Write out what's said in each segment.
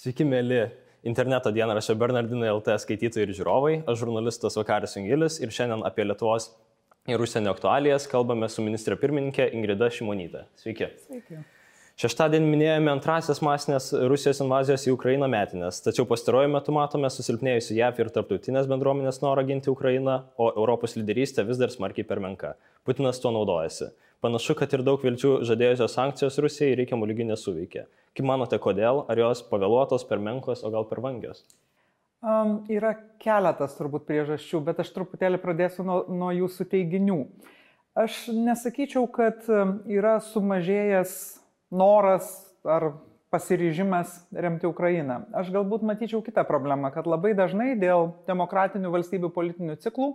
Sveiki, mėly interneto dienraščio Bernardinai LT skaitytojai ir žiūrovai. Aš žurnalistas Vakaris Jungilis ir šiandien apie Lietuvos ir užsienio aktualijas kalbame su ministrė pirmininkė Ingrida Šimonytė. Sveiki. Sveiki. Šeštadienį minėjome antrasias masinės Rusijos invazijos į Ukrainą metinės, tačiau pastaruoju metu matome susilpnėjusi JAV ir tarptautinės bendruomenės norą ginti Ukrainą, o Europos lyderystė vis dar smarkiai per menka. Putinas tuo naudojasi. Panašu, kad ir daug vilčių žadėjusios sankcijos Rusijai reikiamų lygių nesuveikė. Kaip manote, kodėl? Ar jos pavėluotos, per menkos, o gal per vangios? Yra keletas turbūt priežasčių, bet aš truputėlį pradėsiu nuo jūsų teiginių. Aš nesakyčiau, kad yra sumažėjęs noras ar pasiryžimas remti Ukrainą. Aš galbūt matyčiau kitą problemą, kad labai dažnai dėl demokratinių valstybių politinių ciklų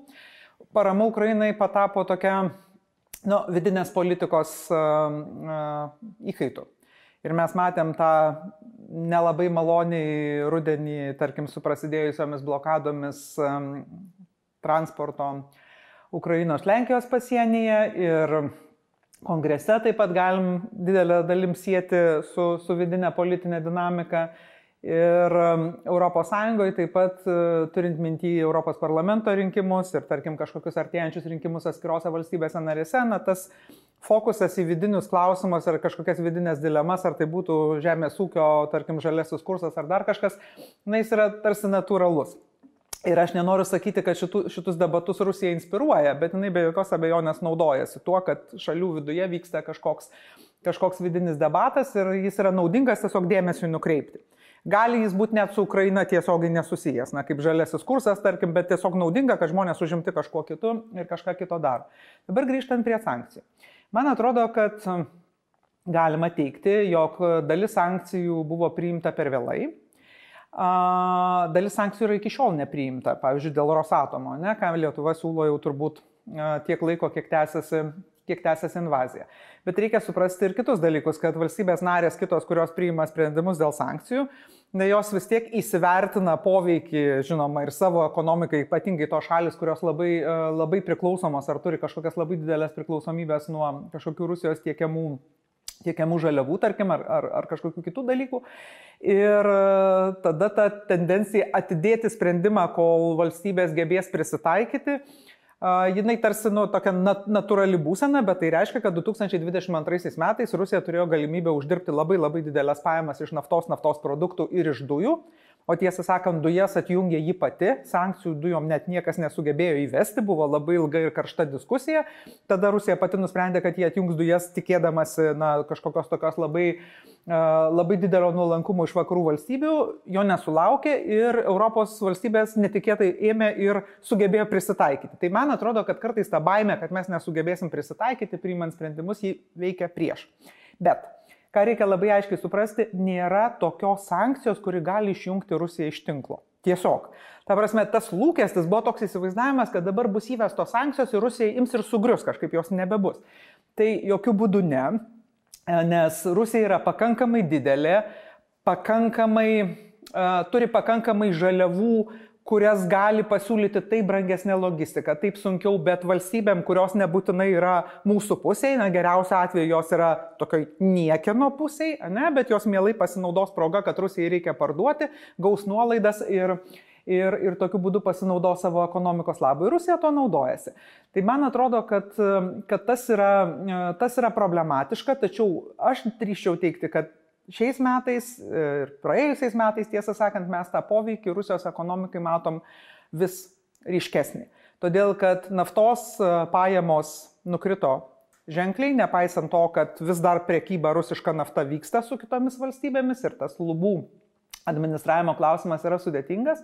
parama Ukrainai patapo tokia vidinės politikos įkaitų. Ir mes matėm tą nelabai maloniai rudenį, tarkim, su prasidėjusiomis blokadomis transporto Ukrainos Lenkijos pasienyje ir Kongrese taip pat galim didelę dalim sieti su vidinė politinė dinamika ir Europos Sąjungoje taip pat turint minty Europos parlamento rinkimus ir tarkim kažkokius artėjančius rinkimus atskirose valstybėse narėse, tas fokusas į vidinius klausimus ar kažkokias vidinės dilemas, ar tai būtų žemės ūkio, tarkim, žaliasis kursas ar dar kažkas, jis yra tarsi natūralus. Ir aš nenoriu sakyti, kad šitus debatus Rusija inspiruoja, bet jinai be jokios abejonės naudojasi tuo, kad šalių viduje vyksta kažkoks vidinis debatas ir jis yra naudingas tiesiog dėmesiui nukreipti. Gali jis būti net su Ukraina tiesiogiai nesusijęs, kaip žaliasis kursas, tarkim, bet tiesiog naudinga, kad žmonės užimti kažkuo kitu ir kažką kito daro. Dabar grįžtant prie sankcijų. Man atrodo, kad galima teigti, jog dalis sankcijų buvo priimta per vėlai. Dalis sankcijų yra iki šiol nepriimta, pavyzdžiui, dėl Rosatomo, ką Lietuva siūlo jau turbūt tiek laiko, kiek tęsiasi invazija. Bet reikia suprasti ir kitus dalykus, kad valstybės narės kitos, kurios priima sprendimus dėl sankcijų, jos vis tiek įsivertina poveikį, žinoma, ir savo ekonomikai, ypatingai tos šalis, kurios labai priklausomos ar turi kažkokias labai didelės priklausomybės nuo kažkokių Rusijos tiekiamų žaliavų, tarkim, ar kažkokių kitų dalykų. Ir tada ta tendencija atidėti sprendimą, kol valstybės gebės prisitaikyti, jinai tarsi tokia natūrali būsena, bet tai reiškia, kad 2022 metais Rusija turėjo galimybę uždirbti labai didelės pajamas iš naftos produktų ir iš dujų. O tiesą sakant, dujas atjungė ji pati, sankcijų dujom net niekas nesugebėjo įvesti, buvo labai ilga ir karšta diskusija. Tada Rusija pati nusprendė, kad jie atjungs dujas tikėdamasi kažkokios tokios labai didelio nuolankumo iš vakarų valstybių, jo nesulaukė ir Europos valstybės netikėtai ėmė ir sugebėjo prisitaikyti. Tai man atrodo, kad kartais ta baimė, kad mes nesugebėsim prisitaikyti, priimant sprendimus, jį veikia prieš. Bet ką reikia labai aiškiai suprasti, nėra tokios sankcijos, kuri gali išjungti Rusiją iš tinklo. Tiesiog. Ta prasme, tas lūkestis buvo toks įsivaizdavimas, kad dabar bus įvestos sankcijos ir Rusija ims ir sugrius, kažkaip jos nebebus. Tai jokių būdų ne, nes Rusija yra pakankamai didelė, turi pakankamai žaliavų, kurias gali pasiūlyti taip brangesnė logistika, taip sunkiau, bet valstybėm, kurios nebūtinai yra mūsų pusėje, geriausiu atveju jos yra tokioj niekieno pusėje, bet jos mielai pasinaudos proga, kad Rusijai reikia parduoti, gaus nuolaidas ir tokiu būdu pasinaudos savo ekonomikos labui. Rusija to naudojasi. Tai man atrodo, kad tas yra problematiška, tačiau aš drįsčiau teigti, kad šiais metais ir praėjusiais metais, tiesą sakant, mes tą poveikį Rusijos ekonomikai matom vis ryškesnį. Todėl, kad naftos pajamos nukrito ženkliai, nepaisant to, kad vis dar prekyba rusiška nafta vyksta su kitomis valstybėmis ir tas lubų administravimo klausimas yra sudėtingas.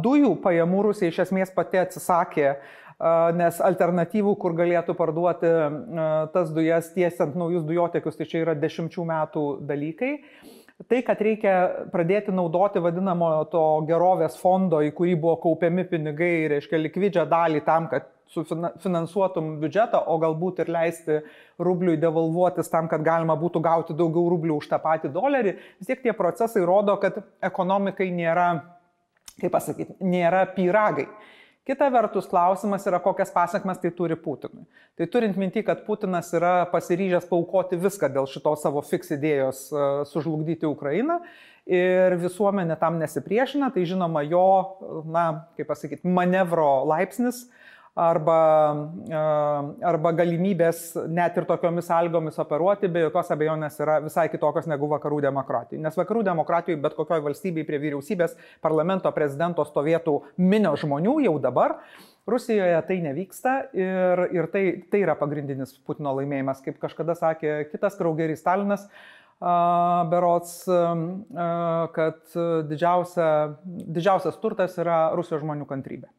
Dujų pajamų Rusija iš esmės pati atsisakė, nes alternatyvų, kur galėtų parduoti tas dujas tiesiant naujus dujotiekius, tai čia yra 10 metų dalykai. Tai, kad reikia pradėti naudoti vadinamo to gerovės fondo, į kurį buvo kaupiami pinigai, reiškia likvidžią dalį tam, kad finansuotum biudžetą, o galbūt ir leisti rubliui devalvuotis tam, kad galima būtų gauti daugiau rublių už tą patį dolerį, vis tiek tie procesai rodo, kad ekonomikai nėra, kaip pasakyti, nėra pyragai. Kita vertus, klausimas yra, kokias pasekmes tai turi Putinui. Tai turint minti, kad Putinas yra pasiryžęs paaukoti viską dėl šitos savo fiks idėjos sužlugdyti Ukrainą ir visuomenė tam nesipriešina, tai žinoma jo, manevro laipsnis arba galimybės net ir tokiomis sąlygomis operuoti be jokios abejonės yra visai kitokios negu vakarų demokratijai. Nes vakarų demokratijai bet kokioj valstybei prie vyriausybės, parlamento, prezidento stovėtų minios žmonių jau dabar. Rusijoje tai nevyksta ir tai yra pagrindinis Putino laimėjimas. Kaip kažkada sakė kitas kraugerys Stalinas, berods, kad didžiausias turtas yra Rusijos žmonių kantrybė.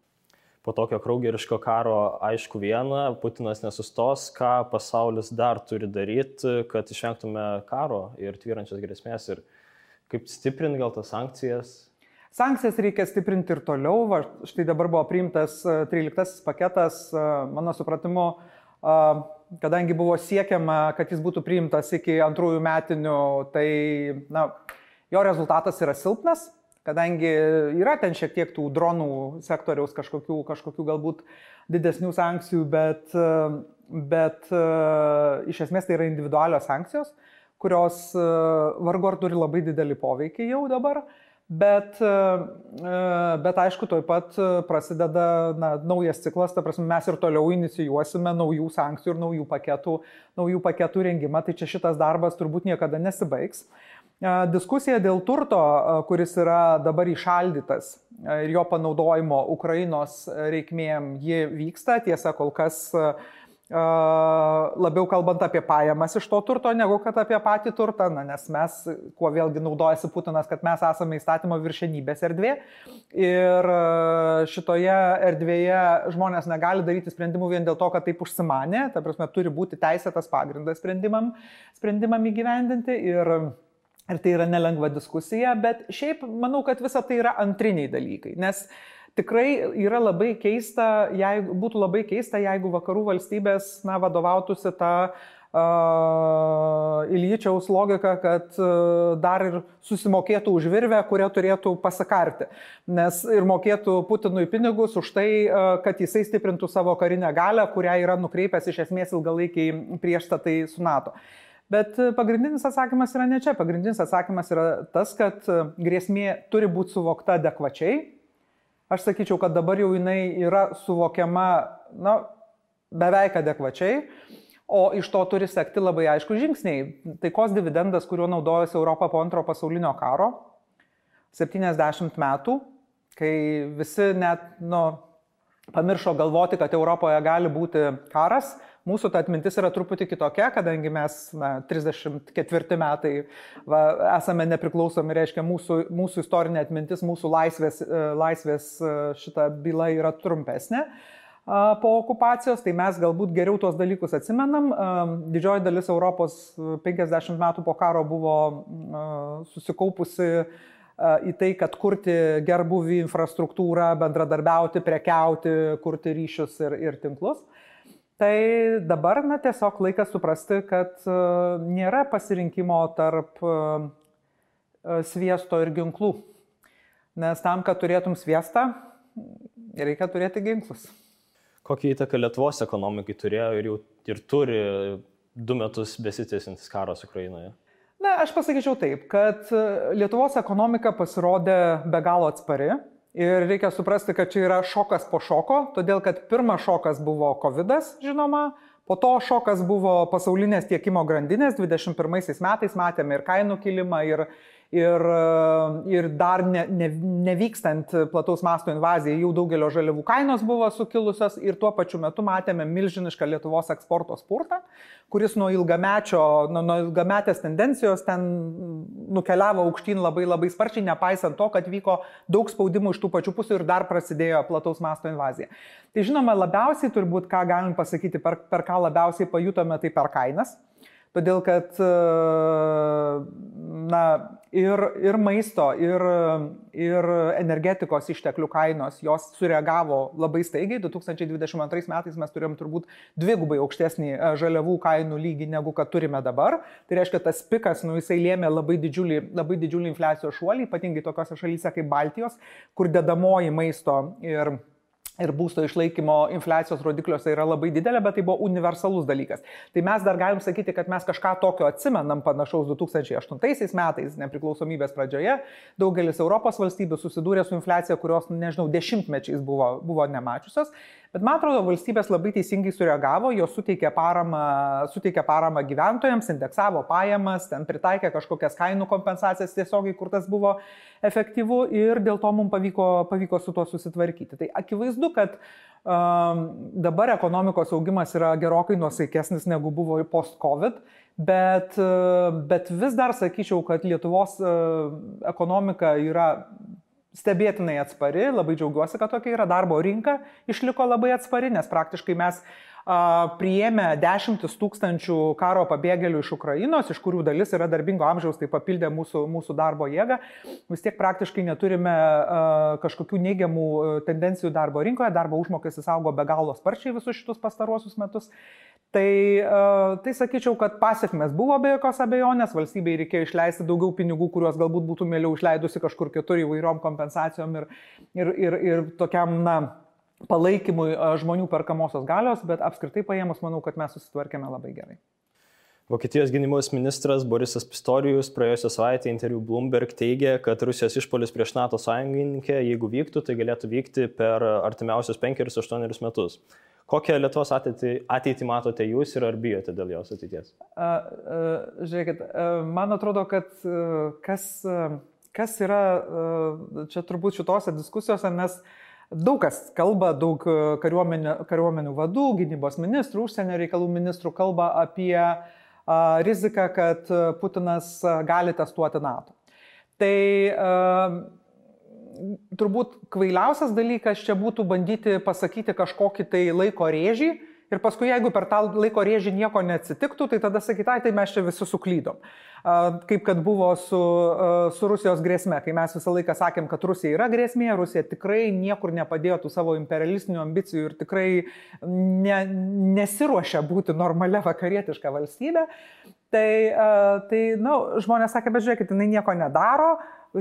Po tokio kraugeriško karo aišku viena, Putinas nesustos, ką pasaulis dar turi daryti, kad išvengtume karo ir tvyrančias grėsmės ir kaip stiprinti gal tas sankcijas? Sankcijas reikia stiprinti ir toliau. Štai dabar buvo priimtas 13 paketas, mano supratimu, kadangi buvo siekiama, kad jis būtų priimtas iki 2 metinių, tai jo rezultatas yra silpnas. Kadangi yra ten šiek tiek tų dronų sektoriaus kažkokių galbūt didesnių sankcijų, bet iš esmės tai yra individualios sankcijos, kurios vargu ar turi labai didelį poveikį jau dabar, bet aišku, toj pat prasideda naujas ciklas, ta prasme mes ir toliau inicijuosime naujų sankcijų ir naujų paketų rengimą, tai čia šitas darbas turbūt niekada nesibaigs. Diskusija dėl turto, kuris yra dabar įšaldytas ir jo panaudojimo Ukrainos reikmėm, ji vyksta. Tiesa, kol kas labiau kalbant apie pajamas iš to turto, negu kad apie patį turtą, nes mes, kuo vėlgi naudojasi Putinas, kad mes esame įstatymo viršenybės erdvė ir šitoje erdvėje žmonės negali daryti sprendimų vien dėl to, kad taip užsimanė, ta prasme, turi būti teisėtas pagrindas sprendimam įgyvendinti ir tai yra nelengva diskusija, bet šiaip manau, kad visa tai yra antriniai dalykai, nes tikrai yra labai keista, būtų labai keista, jeigu vakarų valstybės vadovautųsi tą Iljičiaus logika, kad dar ir susimokėtų už virvę, kurią turėtų pasikarti, nes ir mokėtų Putinui pinigus už tai, kad jisai stiprintų savo karinę galią, kurią yra nukreipęs iš esmės ilgalaikiai priešstatai su NATO. Bet pagrindinis atsakymas yra ne čia. Pagrindinis atsakymas yra tas, kad grėsmė turi būti suvokta adekvačiai. Aš sakyčiau, kad dabar jau jinai yra suvokiama beveik adekvačiai, o iš to turi sekti labai aišku žingsniai. Taikos dividendas, kuriuo naudojosi Europa po Antrojo pasaulinio karo, 70 metų, kai visi net pamiršo galvoti, kad Europoje gali būti karas. Mūsų ta atmintis yra truputį kitokia, kadangi mes 34 metai esame nepriklausomi, reiškia mūsų istorinė atmintis, mūsų laisvės šita byla yra trumpesnė po okupacijos, tai mes galbūt geriau tuos dalykus atsimenam. Didžioji dalis Europos 50 metų po karo buvo susikaupusi į tai, kad kurti gerbuvį infrastruktūrą, bendradarbiauti, prekiauti, kurti ryšius ir tinklus. Tai dabar tiesiog laikas suprasti, kad nėra pasirinkimo tarp sviesto ir ginklų. Nes tam, kad turėtum sviestą, reikia turėti ginklus. Kokią įtaką Lietuvos ekonomikai turėjo ir turi 2 metus besitęsiantis karas Ukrainoje? Aš pasakyčiau taip, kad Lietuvos ekonomika pasirodė be galo atspari. Ir reikia suprasti, kad čia yra šokas po šoko, todėl kad pirmas šokas buvo COVID-as, žinoma, po to šokas buvo pasaulinės tiekimo grandinės, 21 metais matėme ir kainų kilimą, ir dar nevykstant plataus masto invazijai, jau daugelio žaliavų kainos buvo sukilusios ir tuo pačiu metu matėme milžinišką Lietuvos eksporto spurtą, kuris nuo ilgametės tendencijos ten nukeliavo aukštyn labai labai sparčiai, nepaisant to, kad vyko daug spaudimų iš tų pačių pusių ir dar prasidėjo plataus masto invazija. Tai žinoma, labiausiai turbūt, ką galim pasakyti, per ką labiausiai pajutome, tai per kainas. Todėl, kad ir maisto, ir energetikos išteklių kainos, jos sureagavo labai staigiai. 2022 metais mes turėjom turbūt 2 aukštesnį žaliavų kainų lygį, negu kad turime dabar. Tai reiškia, tas pikas, jisai lėmė labai didžiulį infliacijos šuolį, ypatingai tokiose šalyse kaip Baltijos, kur dedamoji maisto ir būsto išlaikymo infliacijos rodikliuose yra labai didelė, bet tai buvo universalus dalykas. Tai mes dar galim sakyti, kad mes kažką tokio atsimenam panašaus 2008 metais, nepriklausomybės pradžioje. Daugelis Europos valstybių susidūrė su infliacija, kurios, nežinau, dešimtmečiais buvo nemačiusios. Bet man atrodo, valstybės labai teisingai sureagavo, jos suteikė paramą gyventojams, indeksavo pajamas, ten pritaikė kažkokias kainų kompensacijas tiesiogiai, kur tas buvo efektyvu ir dėl to mums pavyko su tuo susitvarkyti. Tai akivaizdu, kad dabar ekonomikos augimas yra gerokai nuosaikesnis negu buvo post-COVID, bet vis dar sakyčiau, kad Lietuvos ekonomika yra stebėtinai atspari, labai džiaugiuosi, kad tokia yra, darbo rinka išliko labai atspari, nes praktiškai mes priėmė 10 000 karo pabėgėlių iš Ukrainos, iš kurių dalis yra darbingo amžiaus, tai papildė mūsų darbo jėgą. Vis tiek praktiškai neturime kažkokių neigiamų tendencijų darbo rinkoje, darbo užmokestis augo be galo sparčiai visus šitus pastaruosius metus. Tai sakyčiau, kad pasiekmes buvo be jokios abejonės, valstybei reikėjo išleisti daugiau pinigų, kuriuos galbūt būtų mieliau išleidusi kažkur kitur įvairiom kompensacijom ir tokiam, palaikymui žmonių perkamosios galios, bet apskritai paėmus, manau, kad mes susitvarkėme labai gerai. Vokietijos gynybos ministras Borisas Pistorius praėjusią savaitę interviu Bloomberg teigė, kad Rusijos išpuolis prieš NATO sąjungininkę, jeigu vyktų, tai galėtų vykti per artimiausius 5-8 metus. Kokią Lietuvos ateitį matote jūs ir ar bijote dėl jos ateities? Žiūrėkit, man atrodo, kad kas yra čia turbūt šitose diskusijose, nes daug kas kalba, daug kariuomenių vadų, gynybos ministrų, užsienio reikalų ministrų kalba apie riziką, kad Putinas gali testuoti NATO. Tai turbūt kvailiausias dalykas čia būtų bandyti pasakyti kažkokį tai laiko rėžį ir paskui, jeigu per tą laiko rėžį nieko neatsitiktų, tai tada sakytai, tai mes čia visi suklydom. Kaip kad buvo su Rusijos grėsme, kai mes visą laiką sakėm, kad Rusija yra grėsmė, Rusija tikrai niekur nepadėjo tų savo imperialistinių ambicijų ir tikrai nesiruošia būti normalia vakarietiška valstybė. Tai žmonės sakė, bet žiūrėkit, jinai nieko nedaro,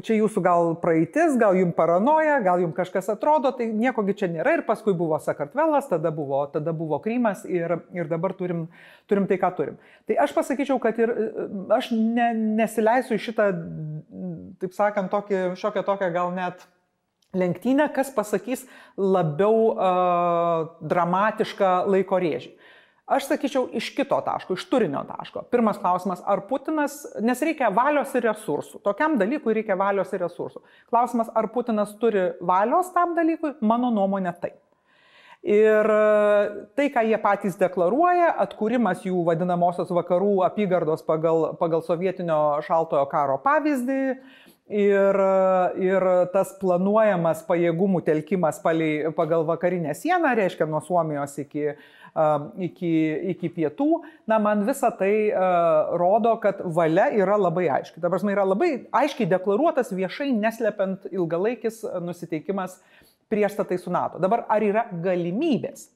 čia jūsų gal praeitis, gal jums paranoja, gal jums kažkas atrodo, tai niekogi čia nėra ir paskui buvo Sakartvelas, tada buvo Krymas ir dabar turim tai, ką turim. Tai aš pasakyčiau, kad ir aš nesileisiu į šitą, taip sakant, šiokią tokią gal net lenktynę, kas pasakys labiau dramatišką laiko rėžį. Aš sakyčiau iš kito taško, iš turinio taško. Pirmas klausimas, ar Putinas, nes reikia valios ir resursų. Tokiam dalykui reikia valios ir resursų. Klausimas, ar Putinas turi valios tam dalykui, mano nuomonė taip. Ir tai, ką jie patys deklaruoja, atkūrimas jų vadinamosios vakarų apygardos pagal sovietinio šaltojo karo pavyzdį ir tas planuojamas pajėgumų telkimas pagal vakarinę sieną, reiškia nuo Suomijos iki pietų, man visa tai rodo, kad valia yra labai aiški. Ta prasme, yra labai aiškiai deklaruotas viešai neslepiant ilgalaikis nusiteikimas priešstatai su NATO. Dabar ar yra galimybės?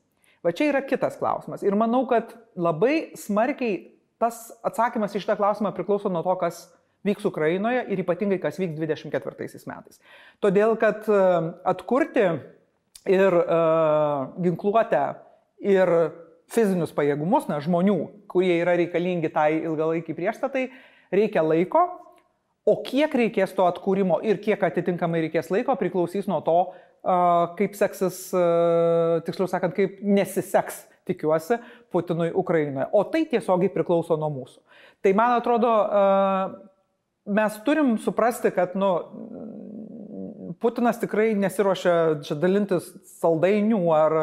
Va čia yra kitas klausimas. Ir manau, kad labai smarkiai tas atsakymas į šitą klausimą priklauso nuo to, kas vyks Ukrainoje ir ypatingai kas vyks 2024 metais. Todėl, kad atkurti ir ginkluotę ir fizinius pajėgumus, žmonių, kurie yra reikalingi tai ilgalaikiai priešstatai, reikia laiko, o kiek reikės to atkūrimo ir kiek atitinkamai reikės laiko priklausys nuo to, kaip seksis, tiksliau sakant, kaip nesiseks, tikiuosi, Putinui Ukrainoje. O tai tiesiogiai priklauso nuo mūsų. Tai man atrodo, mes turim suprasti, kad Putinas tikrai nesiruošia čia dalintis saldainių ar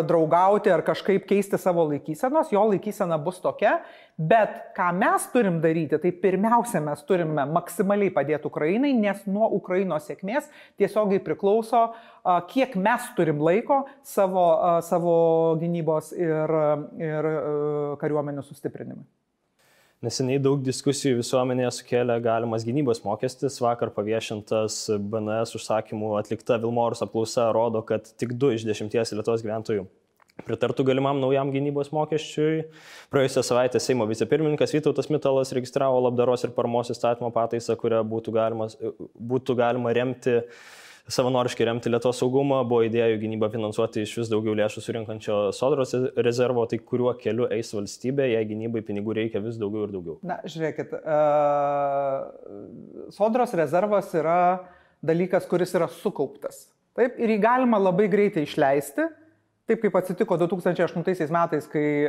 draugauti, ar kažkaip keisti savo laikysenos, jo laikysena bus tokia, bet ką mes turim daryti, tai pirmiausia mes turime maksimaliai padėti Ukrainai, nes nuo Ukrainos sėkmės tiesiogiai priklauso, kiek mes turim laiko savo gynybos ir kariuomenių sustiprinimui. Neseniai daug diskusijų visuomenėje sukėlė galimas gynybos mokestis. Vakar paviešintas BNS užsakymų atlikta Vilmorus apklausa rodo, kad tik 2 iš 10 Lietuvos gyventojų pritartų galimam naujam gynybos mokesčiui. Praėjusią savaitę Seimo vicepirmininkas Vytautas Mitalas registravo labdaros ir paramos įstatymo pataisą, kuria būtų galima remti savanoriškai remti Lietuvos saugumą, buvo idėjų gynybą finansuoti iš vis daugiau lėšų surinkančio Sodros rezervo, tai kuriuo keliu eis valstybė, jei gynybai pinigų reikia vis daugiau ir daugiau? Na, žiūrėkit, Sodros rezervas yra dalykas, kuris yra sukauptas. Taip, ir jį galima labai greitai išleisti. Taip kaip atsitiko 2008 metais, kai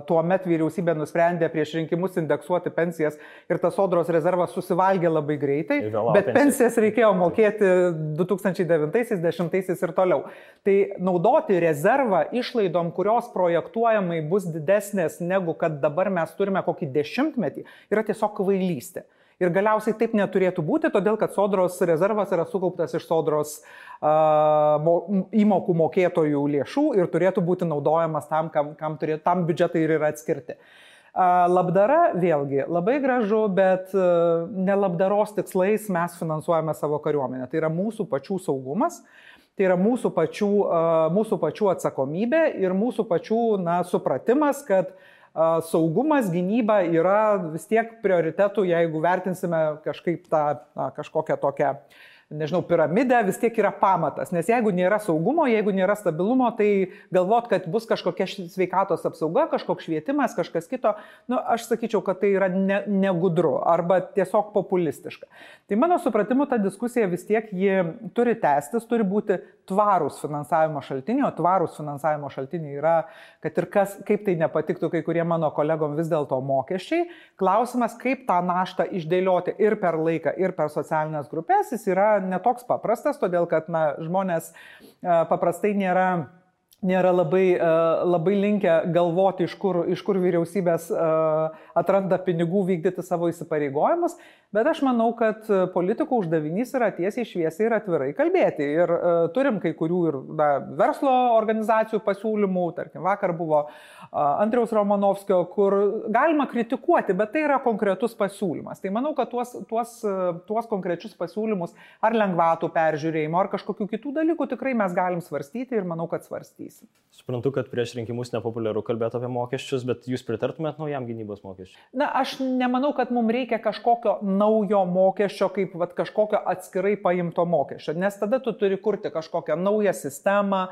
tuo met vyriausybė nusprendė prieš rinkimus indeksuoti pensijas ir tas Sodros rezervas susivalgė labai greitai, bet pensijas reikėjo mokėti 2009, 2010 ir toliau. Tai naudoti rezervą išlaidom, kurios projektuojamai bus didesnės negu kad dabar mes turime kokį 10 metį, yra tiesiog kvailystė. Ir galiausiai taip neturėtų būti, todėl kad Sodros rezervas yra sukauptas iš Sodros įmokų mokėtojų lėšų ir turėtų būti naudojamas tam, tam biudžetai ir yra atskirti. Labdara vėlgi labai gražu, bet ne labdaros tikslais mes finansuojame savo kariuomenę. Tai yra mūsų pačių saugumas, tai yra mūsų pačių atsakomybė ir mūsų pačių supratimas, kad saugumas, gynyba yra vis tiek prioritetų, jeigu vertinsime kažkaip tą kažkokią tokią, nežinau, piramidę, vis tiek yra pamatas. Nes jeigu nėra saugumo, jeigu nėra stabilumo, tai galvot, kad bus kažkokia sveikatos apsauga, kažkoks švietimas, kažkas kito, aš sakyčiau, kad tai yra negudru arba tiesiog populistiška. Tai mano supratimu, ta diskusija vis tiek ji turi tęstis, turi būti tvarūs finansavimo šaltiniai, o tvarūs finansavimo šaltiniai yra, kad ir kaip tai nepatiktų kai kurie mano kolegom vis dėlto mokesčiai. Klausimas, kaip tą naštą išdėlioti ir per laiką, ir per socialinės grupės, jis yra netoks paprastas, todėl kad žmonės paprastai nėra labai linkę galvoti, iš kur vyriausybės atranda pinigų vykdyti savo įsipareigojimus, bet aš manau, kad politikų uždavinys yra tiesiai šviesiai ir atvirai kalbėti. Ir turim kai kurių ir verslo organizacijų pasiūlymų, tarkim, vakar buvo Andriaus Romanovskio, kur galima kritikuoti, bet tai yra konkretus pasiūlymas. Tai manau, kad tuos konkrečius pasiūlymus ar lengvatų peržiūrėjimo, ar kažkokių kitų dalykų tikrai mes galim svarstyti ir manau, kad svarstysim. Suprantu, kad prieš rinkimus nepopuliaru kalbėti apie mokesčius, bet jūs pritartumėt naujam gynybos mokesčiui? Na, aš nemanau, kad mums reikia kažkokio naujo mokesčio, kaip kažkokio atskirai paimto mokesčio, nes tada tu turi kurti kažkokią naują sistemą,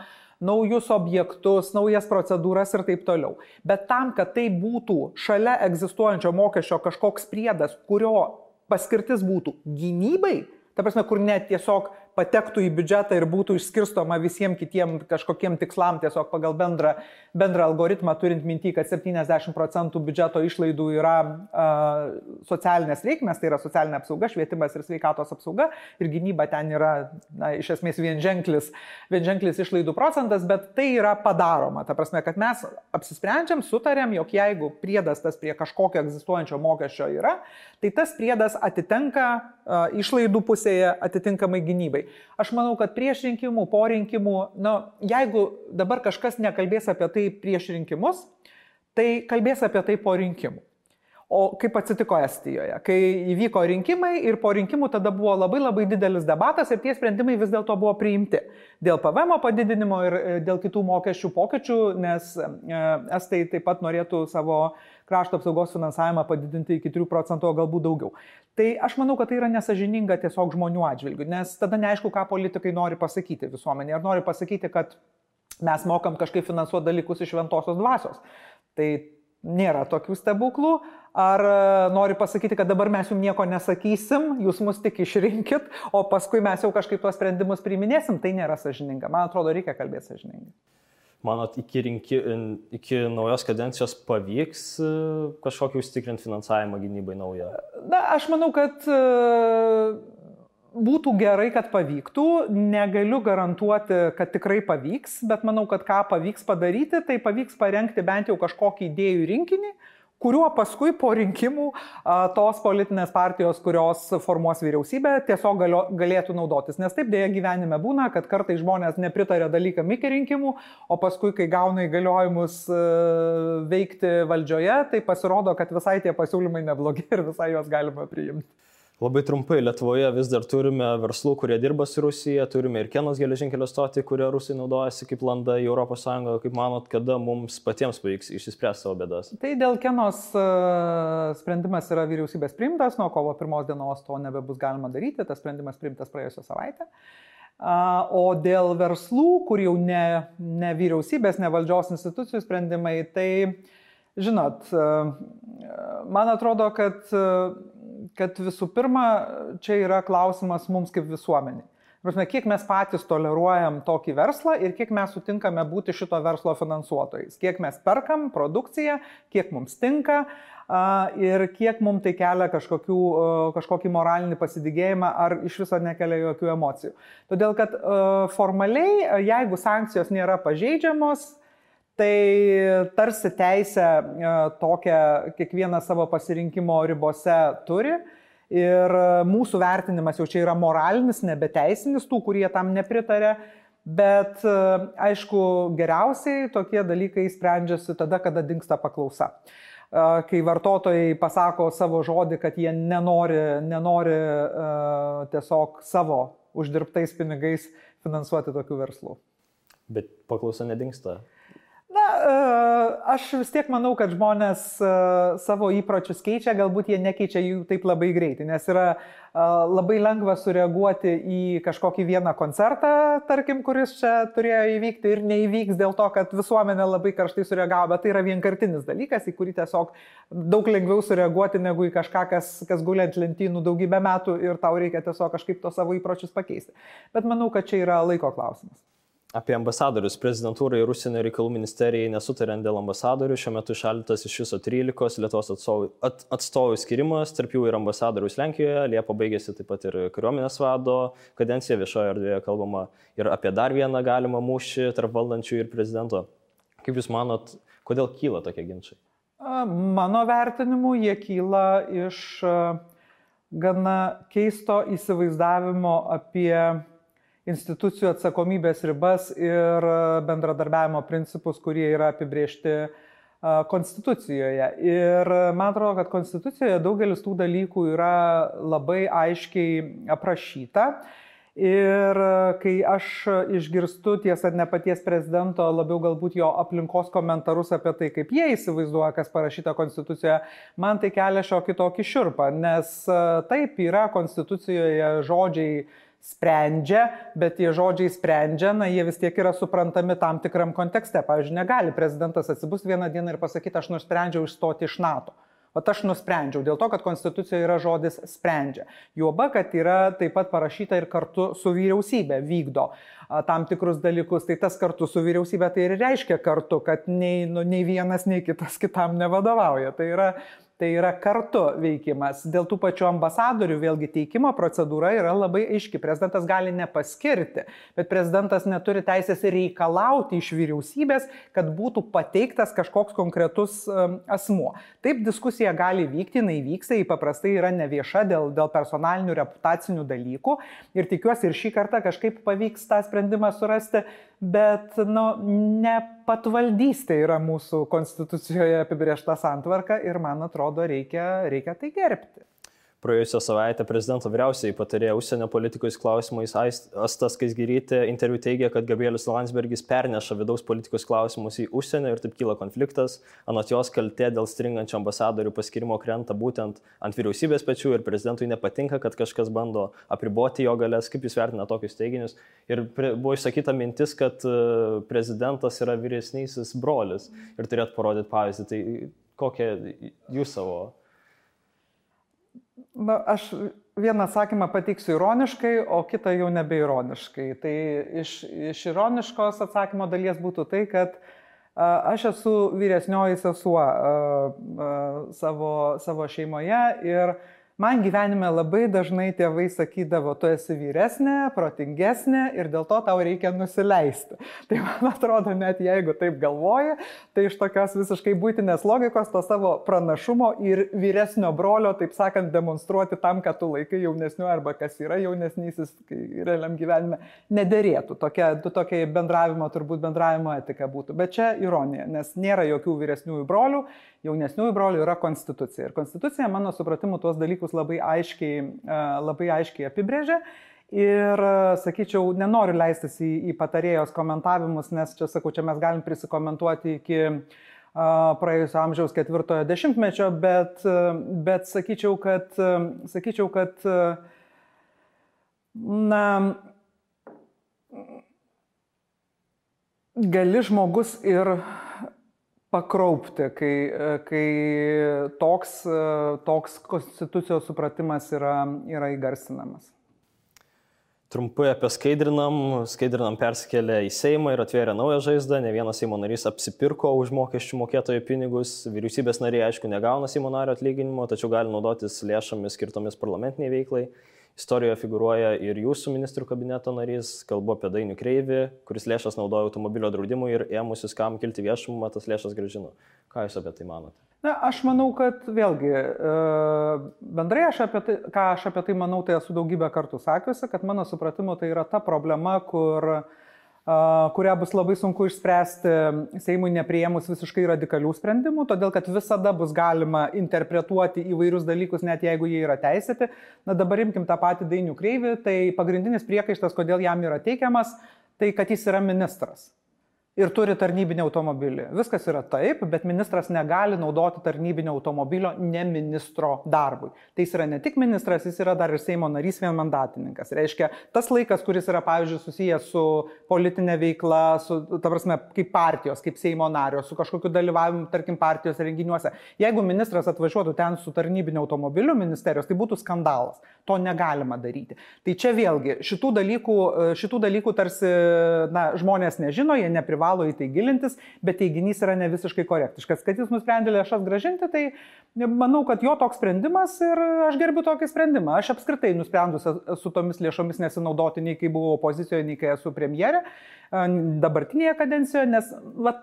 naujus objektus, naujas procedūras ir taip toliau. Bet tam, kad tai būtų šalia egzistuojančio mokesčio kažkoks priedas, kurio paskirtis būtų gynybai, ta prasme, kur net tiesiog patektų į biudžetą ir būtų išskirstoma visiems kitiem kažkokiem tikslam tiesiog pagal bendrą algoritmą, turint minty, kad 70% biudžeto išlaidų yra socialinės reikmės, tai yra socialinė apsauga, švietimas ir sveikatos apsauga ir gynyba ten yra iš esmės vienženklis išlaidų procentas, bet tai yra padaroma. Ta prasme, kad mes apsisprendžiam, sutarėm, jog jeigu priedas tas prie kažkokio egzistuojančio mokesčio yra, tai tas priedas atitenka išlaidų pusėje atitinkamai gynybai. Aš manau, kad prieš rinkimų, po rinkimų, jeigu dabar kažkas nekalbės apie tai prieš rinkimus, tai kalbės apie tai po rinkimų. O kaip atsitiko Estijoje, kai įvyko rinkimai ir po rinkimų tada buvo labai didelis debatas ir tie sprendimai vis dėlto buvo priimti dėl PVM padidinimo ir dėl kitų mokesčių pokyčių, nes Estai taip pat norėtų savo krašto apsaugos finansavimą padidinti iki 3%, o galbūt daugiau. Tai aš manau, kad tai yra nesažininga tiesiog žmonių atžvilgių, nes tada neaišku, ką politikai nori pasakyti visuomenė. Ar nori pasakyti, kad mes mokam kažkaip finansuoti dalykus iš šventosios dvasios. Tai nėra tokių stebuklų. Ar nori pasakyti, kad dabar mes jums nieko nesakysim, jūs mus tik išrinkit, o paskui mes jau kažkaip tuos sprendimus priiminėsim, tai nėra sąžininga. Man atrodo, reikia kalbėti sąžiningai. Manot, iki naujos kadencijos pavyks kažkokį užtikrinti finansavimą gynybai naują? Na, aš manau, kad būtų gerai, kad pavyktų. Negaliu garantuoti, kad tikrai pavyks, bet manau, kad ką pavyks padaryti, tai pavyks parengti bent jau kažkokį idėjų rinkinį, kuriuo paskui po rinkimų tos politinės partijos, kurios formuos vyriausybę, tiesiog galėtų naudotis. Nes taip dėja gyvenime būna, kad kartais žmonės nepritarė dalykam iki rinkimų, o paskui, kai gauna įgaliojimus veikti valdžioje, tai pasirodo, kad visai tie pasiūlymai neblogi ir visai juos galima priimti. Labai trumpai, Lietuvoje vis dar turime verslų, kurie dirba su Rusija, turime ir Kenos geležinkelio stotį, kurie Rusai naudojasi kaip landa į ES. Kaip manot, kada mums patiems pavyks išspręsti savo bėdas? Tai dėl Kenos sprendimas yra vyriausybės priimtas, nuo kovo 1 dienos to nebebus galima daryti, tas sprendimas priimtas praėjusią savaitę. O dėl verslų, kur jau ne vyriausybės, ne valdžios institucijų sprendimai, tai, žinot, man atrodo, kad visų pirma, čia yra klausimas mums kaip visuomeniai. Prasme, kiek mes patys toleruojam tokį verslą ir kiek mes sutinkame būti šito verslo finansuotojais. Kiek mes perkam produkciją, kiek mums tinka ir kiek mums tai kelia kažkokį moralinį pasidygėjimą ar iš viso nekelia jokių emocijų. Todėl, kad formaliai, jeigu sankcijos nėra pažeidžiamos, tai tarsi teisę tokią kiekvieną savo pasirinkimo ribose turi. Ir mūsų vertinimas jau čia yra moralinis, nebeteisinis, tų, kurie tam nepritarė, bet aišku, geriausiai tokie dalykai sprendžiasi tada, kada dingsta paklausa. Kai vartotojai pasako savo žodį, kad jie nenori tiesiog savo uždirbtais pinigais finansuoti tokių verslų. Bet paklausa nedingsta. Na, aš vis tiek manau, kad žmonės savo įpročius keičia, galbūt jie nekeičia jų taip labai greitai, nes yra labai lengva sureaguoti į kažkokį vieną koncertą, tarkim, kuris čia turėjo įvykti ir neįvyks dėl to, kad visuomenė labai karštai sureagavo, bet tai yra vienkartinis dalykas, į kurį tiesiog daug lengviau sureaguoti negu į kažką, kas guli ant lentynų daugybę metų ir tau reikia tiesiog kažkaip to savo įpročius pakeisti. Bet manau, kad čia yra laiko klausimas. Apie ambasadorius. Prezidentūrai ir Užsienio reikalų ministerijai nesutariant dėl ambasadorių. Šiuo metu šaldytas iš viso 13 Lietuvos atstovų skirimas, tarp jų ir ambasadorius Lenkijoje. Liepą baigėsi taip pat ir kariuomenės vado kadencija, viešoje erdvėje kalbama ir apie dar vieną galimą mūšį tarp valdančių ir prezidento. Kaip Jūs manot, kodėl kyla tokie ginčai? Mano vertinimu, jie kyla iš gana keisto įsivaizdavimo apie institucijų atsakomybės ribas ir bendradarbiavimo principus, kurie yra apibriežti Konstitucijoje. Ir man atrodo, kad Konstitucijoje daugelis tų dalykų yra labai aiškiai aprašyta. Ir kai aš išgirstu, tiesa, ne paties prezidento, labiau galbūt jo aplinkos komentarus apie tai, kaip jie įsivaizduoja, kas parašyta Konstitucijoje, man tai kelia šiokį tokį šiurpą, nes taip yra Konstitucijoje žodžiai sprendžia, bet tie žodžiai sprendžia, jie vis tiek yra suprantami tam tikram kontekste. Pavyzdžiui, negali prezidentas atsibust vieną dieną ir pasakyti, aš nusprendžiau išstoti iš NATO. O aš nusprendžiau, dėl to, kad Konstitucijoje yra žodis sprendžia. Juoba, kad yra taip pat parašyta ir kartu su vyriausybė vykdo tam tikrus dalykus. Tai tas kartu su vyriausybė tai ir reiškia kartu, kad nei vienas, nei kitas kitam nevadovauja. Tai yra kartu veikimas. Dėl tų pačių ambasadorių vėlgi teikimo procedūra yra labai aiški. Prezidentas gali nepaskirti, bet prezidentas neturi teisės reikalauti iš vyriausybės, kad būtų pateiktas kažkoks konkretus asmuo. Taip diskusija gali vykti, jinai vyksta, ji paprastai yra nevieša dėl personalinių reputacinių dalykų ir tikiuosi ir šį kartą kažkaip pavyks tą sprendimą surasti, bet ne patvaldystė yra mūsų Konstitucijoje apibrėžta santvarka ir man atrodo reikia tai gerbti. Praėjusią savaitę prezidento vyriausiai patarėja užsienio politikos klausimais Asta Skaisgirytė interviu teigė, kad Gabrielius Landsbergis perneša vidaus politikos klausimus į užsienio ir taip kyla konfliktas. Anot jos kaltė dėl stringančio ambasadorių paskirimo krenta būtent ant vyriausybės pečių ir prezidentui nepatinka, kad kažkas bando apriboti jo galės. Kaip Jūs vertina tokius teiginius? Ir buvo išsakyta mintis, kad prezidentas yra vyresnysis brolis ir turėtų parodyti pavyzdį. Tai kokią Jūs savo... Aš vieną atsakymą pateiksiu ironiškai, o kitą jau nebeironiškai. Tai iš ironiškos atsakymo dalies būtų tai, kad aš esu vyresnioji sesuo savo šeimoje ir man gyvenime labai dažnai tėvai sakydavo, tu esi vyresnė, protingesnė ir dėl to tau reikia nusileisti. Tai man atrodo, net jeigu taip galvoji, tai iš tokios visiškai buitinės logikos to savo pranašumo ir vyresnio brolio, taip sakant, demonstruoti tam, kad tu laikai jaunesniu arba kas yra jaunesnysis realiam gyvenime, nederėtų. Tokia bendravimo etika būtų. Bet čia ironija, nes nėra jokių vyresniųjų brolių, jaunesniųjų brolių yra konstitucija. Ir konstitucija, mano supratimu, tuos dalykus dalykus labai aiškiai apibrėžė. Ir, sakyčiau, nenoriu leistis į patarėjos komentavimus, nes čia, sakau, čia mes galim prisikomentuoti iki praėjusio amžiaus 4-ojo dešimtmečio, bet sakyčiau, kad na, gali žmogus ir pakraupti, kai toks konstitucijos supratimas yra įgarsinamas. Trumpai apie Skaidrinam persikėlė į Seimą ir atvėrė naują žaizdą, ne vienas Seimo narys apsipirko už mokesčių mokėtojų pinigus, vyriausybės nariai aišku negauna Seimo nario atlyginimo, tačiau gali naudotis lėšomis skirtomis parlamentiniai veiklai. Istorijoje figuruoja ir jūsų ministrų kabineto narys, kalbu apie Dainių Kreivį, kuris lėšas naudoja automobilio draudimui ir ėmusis kam kilti viešumą, tas lėšas grąžino. Ką jūs apie tai manote? Na, aš manau, kad vėlgi, bendrai ką aš apie tai manau, tai esu daugybę kartų sakiusi, kad mano supratimu tai yra ta problema, kurią bus labai sunku išspręsti Seimui nepriėmus visiškai radikalių sprendimų, todėl kad visada bus galima interpretuoti įvairius dalykus, net jeigu jie yra teisėti. Na, dabar imkim tą patį Dainių Kreivį, tai pagrindinis priekaištas, kodėl jam yra teikiamas, tai kad jis yra ministras. Ir turi tarnybinį automobilį. Viskas yra taip, bet ministras negali naudoti tarnybinio automobilio ne ministro darbui. Tai jis yra ne tik ministras, jis yra dar ir Seimo narys vienmandatininkas. Reiškia, tas laikas, kuris yra, pavyzdžiui, susijęs su politinė veikla, ta prasme, kaip partijos, kaip Seimo nario, su kažkokiu dalyvavimu, tarkim, partijos renginiuose. Jeigu ministras atvažiuotų ten su tarnybinio automobiliu ministerijos, tai būtų skandalas. To negalima daryti. Tai čia vėlgi, šitų dalykų tarsi žmonės nežino, jie neprivalo į tai gilintis, bet teiginys yra ne visiškai korektiškas. Kad jis nusprendė lėšas grąžinti, tai manau, kad jo toks sprendimas ir aš gerbiu tokį sprendimą. Aš apskritai nusprendus su tomis lėšomis nesinaudoti nei kai buvau opozicijoje, nei kai esu premjerė dabartinėje kadencijoje, nes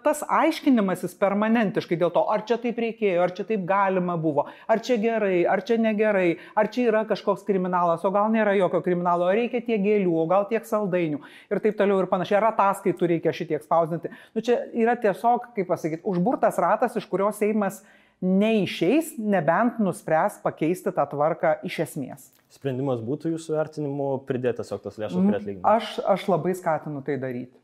tas aiškinimasis permanentiškai dėl to, ar čia taip reikėjo, ar čia taip galima buvo, ar čia gerai, ar čia negerai, ar čia yra kažkoks kriminalas, o gal nėra jokio kriminalo, ar reikia tiek gėlių, o gal tiek saldainių ir taip toliau ir panašiai, ar ataskaitų reikia šitiek spausdinti. Nu, čia yra tiesiog, kaip pasakyti, užburtas ratas, iš kurio Seimas neišeis, nebent nuspręs pakeisti tą tvarką iš esmės. Sprendimas būtų jūsų vertinimu pridėti tiesiog tas lėšas prie atlyginimo? Aš labai skatinu tai daryti.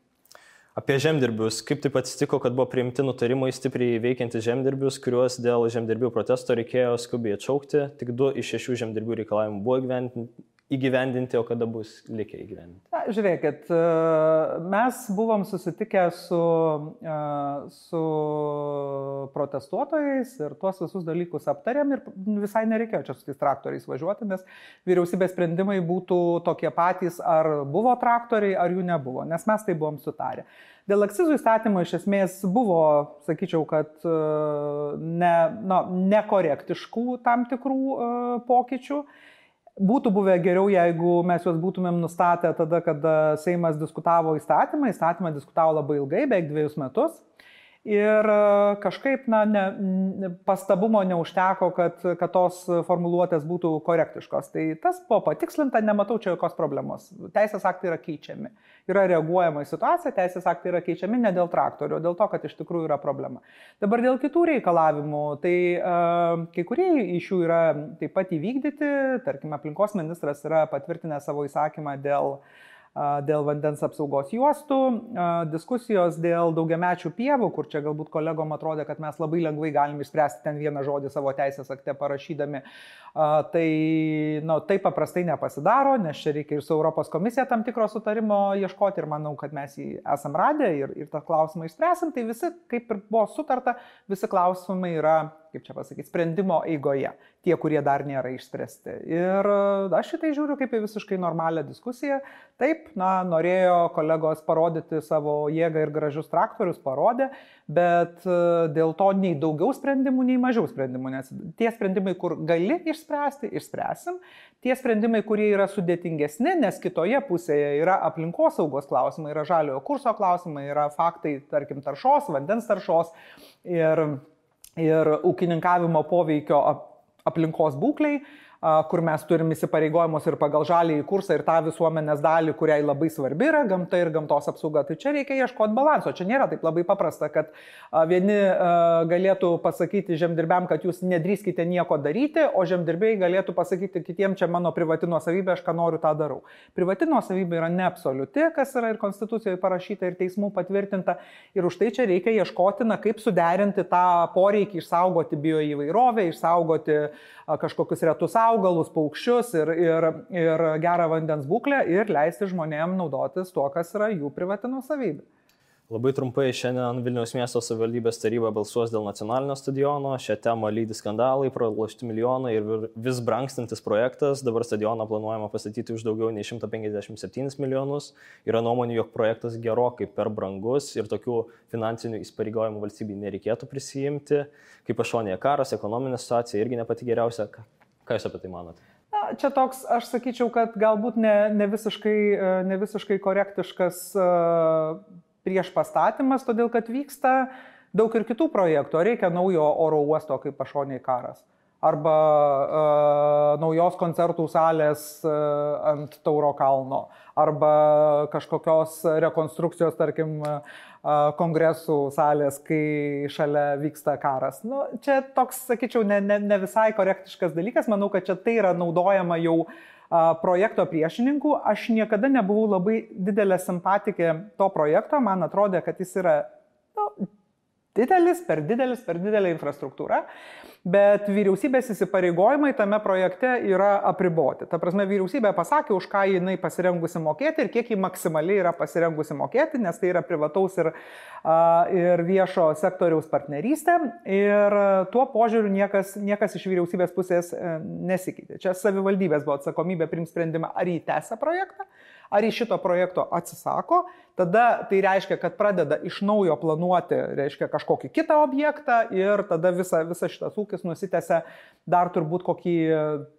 Apie žemdirbius. Kaip taip atsitiko, kad buvo priimti nutarimai stipriai veikiantis žemdirbius, kuriuos dėl žemdirbių protesto reikėjo skubiai atšaukti? Tik 2 iš 6 žemdirbių reikalavimų buvo įgyvendinti, o kada bus likę įgyvendinti? Na, žiūrėkit, mes buvom susitikę su protestuotojais ir tuos visus dalykus aptarėm ir visai nereikėjo čia su tais traktoriais važiuoti, nes vyriausybės sprendimai būtų tokie patys, ar buvo traktoriai, ar jų nebuvo, nes mes tai buvom sutarę. Dėl akcizų įstatymo iš esmės buvo, sakyčiau, kad nekorektiškų tam tikrų pokyčių. Būtų buvę geriau, jeigu mes juos būtumėm nustatę tada, kada Seimas diskutavo įstatymą. Įstatymą diskutavo labai ilgai, beveik 2 metus. Ir kažkaip pastabumo neužteko, kad tos formuluotės būtų korektiškos. Tai tas buvo patikslinta, nematau čia jokios problemos. Teisės aktai yra keičiami. Yra reaguojama į situaciją, teisės aktai yra keičiami ne dėl traktorių, o dėl to, kad iš tikrųjų yra problema. Dabar dėl kitų reikalavimų, tai kai kurie iš jų yra taip pat įvykdyti. Tarkime, aplinkos ministras yra patvirtinęs savo įsakymą dėl vandens apsaugos juostų, diskusijos dėl daugiamečių pievų, kur čia galbūt kolegom atrodė, kad mes labai lengvai galim išspręsti ten vieną žodį savo teisės akte parašydami. Tai taip paprastai nepasidaro, nes čia reikia ir su Europos komisija tam tikro sutarimo ieškoti ir manau, kad mes jį esam radę ir tą klausimą išspręsim. Tai visi, kaip ir buvo sutarta, visi klausimai yra, kaip čia pasakyti, sprendimo eigoje, tie, kurie dar nėra išspręsti. Ir aš šitai žiūriu kaip į visiškai normalią diskusiją. Taip, norėjo kolegos parodyti savo jėgą ir gražius traktorius, parodė, bet dėl to nei daugiau sprendimų, nei mažiau sprendimų, nes tie sprendimai, kur gali išspręsti, išspręsim. Tie sprendimai, kurie yra sudėtingesni, nes kitoje pusėje yra aplinkosaugos klausimai, yra žaliojo kurso klausimai, yra faktai, tarkim, taršos, vandens taršos ir ūkininkavimo poveikio aplinkos būklei. kur mes turim įsipareigojimus ir pagal žaliąjį kursą ir tą visuomenės dalį, kuriai labai svarbi yra gamta ir gamtos apsauga. Tai čia reikia ieškoti balanso. Čia nėra taip labai paprasta, kad vieni galėtų pasakyti žemdirbiam, kad jūs nedrįskite nieko daryti, o žemdirbiai galėtų pasakyti kitiems, čia mano privati nuosavybė, aš ką noriu, tą darau. Privati nuosavybė yra neabsoliuti, kas yra ir Konstitucijoje parašyta, ir teismų patvirtinta. Ir už tai čia reikia ieškoti, kaip suderinti tą poreikį išsaugoti bioįvairovę, išsaugoti kažkokius retus augalus, paukščius ir gerą vandens būklę ir leisti žmonėms naudotis tuo, kas yra jų privati nuosavybė. Labai trumpai, šiandien Vilniaus miesto savivaldybės taryba balsuos dėl nacionalinio stadiono. Šią temą lydi skandalai, pralošti milijonai ir vis brangstantis projektas. Dabar stadioną planuojama pastatyti už daugiau nei 157 milijonus. Yra nuomonių, jog projektas gerokai per brangus ir tokių finansinių įsipareigojimų valstybei nereikėtų prisijimti. Kaip pašonėje karas, ekonominė situacija irgi ne pati geriausia. Ką jūs apie tai manote? Čia toks, aš sakyčiau, kad galbūt ne visiškai korektiškas prieš pastatymas, todėl kad vyksta daug ir kitų projektų. Reikia naujo oro uosto kaip pašonėje karas. Arba naujos koncertų salės ant Tauro kalno. Arba kažkokios rekonstrukcijos, tarkim, kongresų salės, kai šalia vyksta karas. Čia toks, sakyčiau, ne visai korektiškas dalykas. Manau, kad čia tai yra naudojama jau projekto priešininkų. Aš niekada nebuvau labai didelė simpatikė to projekto. Man atrodė, kad jis yra per didelė infrastruktūra, bet vyriausybės įsipareigojimai tame projekte yra apriboti. Ta prasme, vyriausybė pasakė, už ką jinai pasirengusi mokėti ir kiek ji maksimaliai yra pasirengusi mokėti, nes tai yra privataus ir viešo sektoriaus partnerystė. Ir tuo požiūriu niekas iš vyriausybės pusės nesikeitė. Čia savivaldybės buvo atsakomybė priimti sprendimą, ar jį tęsia projektą, ar iš šito projekto atsisako. Tada tai reiškia, kad pradeda iš naujo planuoti, reiškia, kažkokį kitą objektą ir tada visa šitas ūkis nusitęsia dar turbūt kokį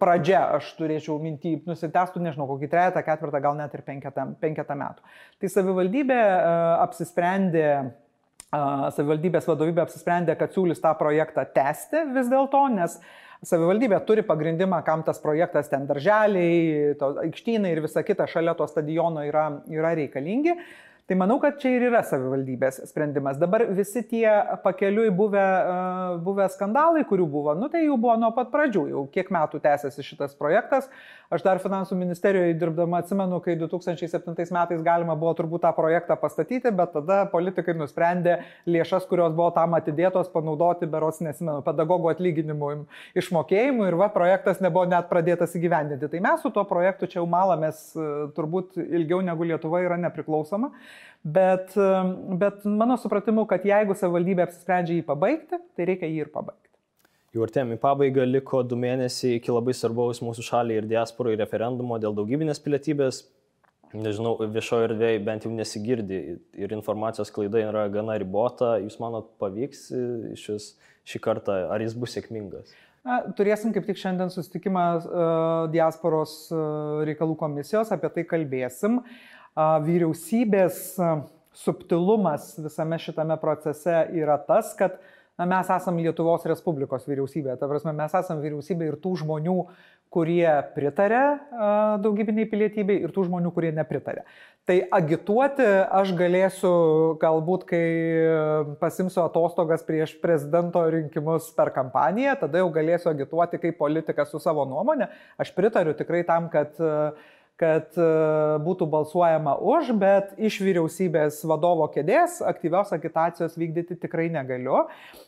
pradžią, aš turėčiau mintį, nusitęstų, nežinau, kokį 3, 4, gal net ir 5 metų. Tai savivaldybės vadovybė apsisprendė, kad siūlys tą projektą tęsti vis dėlto, nes savivaldybė turi pagrindimą, kam tas projektas, ten darželiai, aikštynai ir visa kita šalia to stadiono yra reikalingi. Tai manau, kad čia ir yra savivaldybės sprendimas. Dabar visi tie pakeliui buvę skandalai, kurių buvo, tai jau buvo nuo pat pradžių, jau kiek metų tęsiasi šitas projektas. Aš dar finansų ministerijoje dirbdama atsimenu, kai 2007 metais galima buvo turbūt tą projektą pastatyti, bet tada politikai nusprendė lėšas, kurios buvo tam atidėtos, panaudoti, berods nesimenu, pedagogų atlyginimų išmokėjimų ir projektas nebuvo net pradėtas įgyvendinti. Tai mes su tuo projektu čia jau malamės turbūt ilgiau negu Lietuva yra nepriklausoma. Bet mano supratimu, kad jeigu savivaldybė apsisprendžia jį pabaigti, tai reikia jį ir pabaigti. Jau artėjame į pabaigą, liko 2 mėnesiai iki labai svarbaus mūsų šaliai ir diasporai referendumo dėl daugybinės pilietybės. Nežinau, viešoje erdvėje bent jau nesigirdi ir informacijos klaida yra gana ribota. Jūs manot, pavyks šį kartą, ar jis bus sėkmingas? Turėsim kaip tik šiandien susitikimą diasporos reikalų komisijos, apie tai kalbėsim. Vyriausybės subtilumas visame šitame procese yra tas, kad mes esame Lietuvos Respublikos vyriausybė. Ta prasme, mes esame vyriausybė ir tų žmonių, kurie pritarė daugybiniai pilietybei ir tų žmonių, kurie nepritarė. Tai agituoti aš galėsiu galbūt, kai pasimsiu atostogas prieš prezidento rinkimus per kampaniją, tada jau galėsiu agituoti kaip politikas su savo nuomonė. Aš pritariu tikrai tam, kad būtų balsuojama už, bet iš vyriausybės vadovo kėdės aktyvios agitacijos vykdyti tikrai negaliu.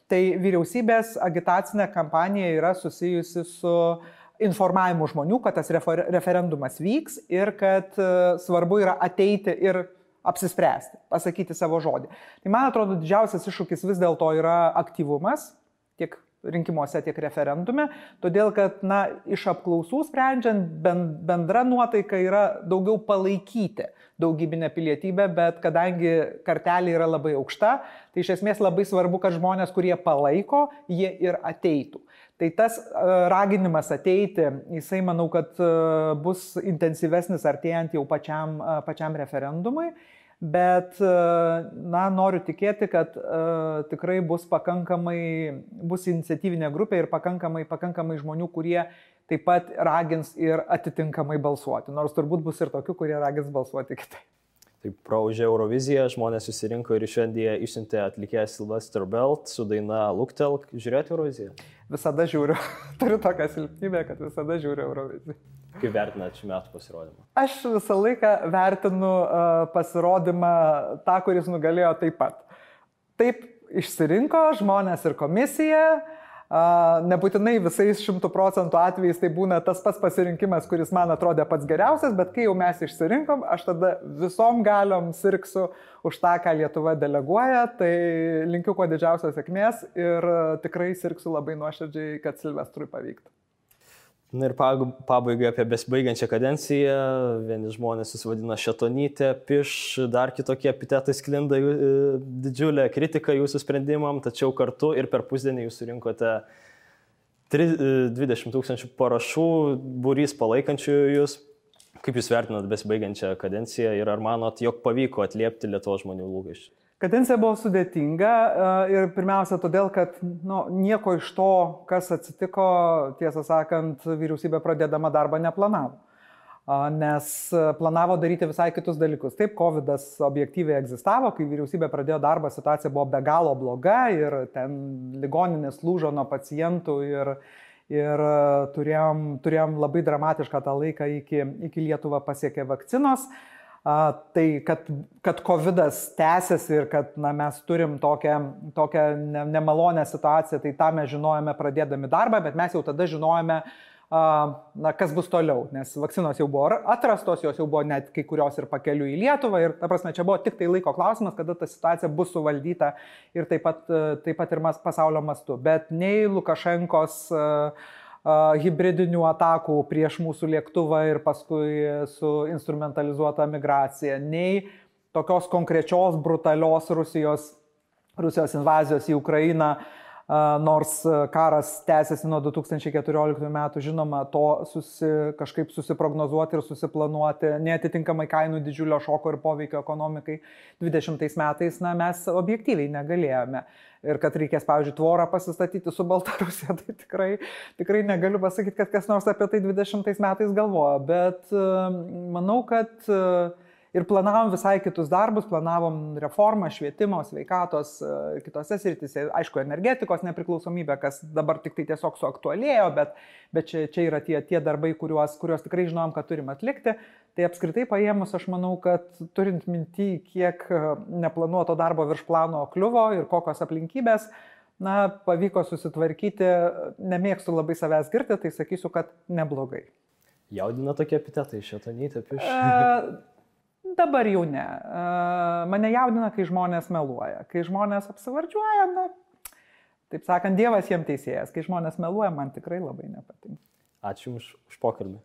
Tai vyriausybės agitacinė kampanija yra susijusi su informavimu žmonių, kad tas referendumas vyks ir kad svarbu yra ateiti ir apsispręsti, pasakyti savo žodį. Tai man atrodo, didžiausias iššūkis vis dėlto yra aktyvumas, tiek rinkimuose, tiek referendume, todėl kad, iš apklausų sprendžiant, bendra nuotaika yra daugiau palaikyti daugybinę pilietybę, bet kadangi kartelė yra labai aukšta, tai iš esmės labai svarbu, kad žmonės, kurie palaiko, jie ir ateitų. Tai tas raginimas ateiti, jisai manau, kad bus intensyvesnis artėjant jau pačiam referendumui. Bet, noriu tikėti, kad tikrai bus iniciatyvinė grupė ir pakankamai žmonių, kurie taip pat ragins ir atitinkamai balsuoti. Nors turbūt bus ir tokių, kurie ragins balsuoti kitaip. Taip, praūžė Euroviziją, žmonės susirinko ir šiandien išsiuntė atlikėją Sylvester Belt su daina Luktelk. Žiūrėjote Euroviziją? Visada žiūriu. Turiu tokią silpnybę, kad visada žiūriu Euroviziją. Kaip vertinate šių metų pasirodymą? Aš visą laiką vertinu pasirodymą tą, kuris nugalėjo taip pat. Taip išsirinko žmonės ir komisija. Nebūtinai visais 100% atvejais tai būna tas pats pasirinkimas, kuris man atrodė pats geriausias, bet kai jau mes išsirinkom, aš tada visom galiom sirksiu už tą, ką Lietuva deleguoja, tai linkiu kuo didžiausios sėkmės ir tikrai sirksiu labai nuoširdžiai, kad Silvestrui pavyktų. Na ir pabaigai apie besibaigiančią kadenciją. Vieni žmonės susivadina šetonytė, piš, dar kitokie epitetai sklinda, didžiulė kritika jūsų sprendimam, tačiau kartu ir per pusdienį jūs surinkote 20 000 parašų, būrys palaikančių jūs. Kaip jūs vertinat besibaigiančią kadenciją ir ar manot, jog pavyko atliepti Lietuvos žmonių lūkesčius? Kadencija buvo sudėtinga ir pirmiausia todėl, kad nieko iš to, kas atsitiko, tiesą sakant, vyriausybė pradėdama darbą neplanavo. Nes planavo daryti visai kitus dalykus. Taip, COVID-as objektyviai egzistavo, kai vyriausybė pradėjo darbą, situacija buvo be galo bloga ir ten ligoninės lūžo nuo pacientų ir turėjom labai dramatišką tą laiką iki Lietuvą pasiekė vakcinos. Tai, kad COVID-as tęsiasi ir kad mes turim tokią nemalonę situaciją, tai tą mes žinojame pradėdami darbą, bet mes jau tada žinojame, kas bus toliau, nes vakcinos jau buvo atrastos, jos jau buvo net kai kurios ir pakeliu į Lietuvą ir, ta prasme, čia buvo tik tai laiko klausimas, kada ta situacija bus suvaldyta ir taip pat ir pasaulio mastu. Bet nei Lukašenkos hibridinių atakų prieš mūsų lėktuvą ir paskui su instrumentalizuota migracija, nei tokios konkrečios brutalios Rusijos invazijos į Ukrainą, nors karas tęsiasi nuo 2014 metų, žinoma, to kažkaip susiprognozuoti ir susiplanuoti, neatitinkamai kainų didžiulio šoko ir poveikio ekonomikai 20 metais, mes objektyviai negalėjome. Ir kad reikės, pavyzdžiui, tvorą pasistatyti su Baltarusija, tai tikrai negaliu pasakyti, kad kas nors apie tai 20 metais galvoja, bet manau, kad ir planavom visai kitus darbus, planavom reformą, švietimo, sveikatos, kitose srityse, aišku, energetikos nepriklausomybė, kas dabar tik tai tiesiog suaktualėjo, bet čia yra tie darbai, kuriuos tikrai žinom, kad turim atlikti. Tai apskritai paėmus, aš manau, kad turint minty, kiek neplanuoto darbo virš plano kliuvo ir kokios aplinkybės, pavyko susitvarkyti, nemėgstu labai savęs girti, tai sakysiu, kad neblogai. Jaudina tokie epitetai, šetonytė, piš? Dabar jau ne. Mane jaudina, kai žmonės meluoja. Kai žmonės apsivardžiuoja, taip sakant, Dievas jiem teisėjas. Kai žmonės meluoja, man tikrai labai nepatinka. Ačiū už pokalbį.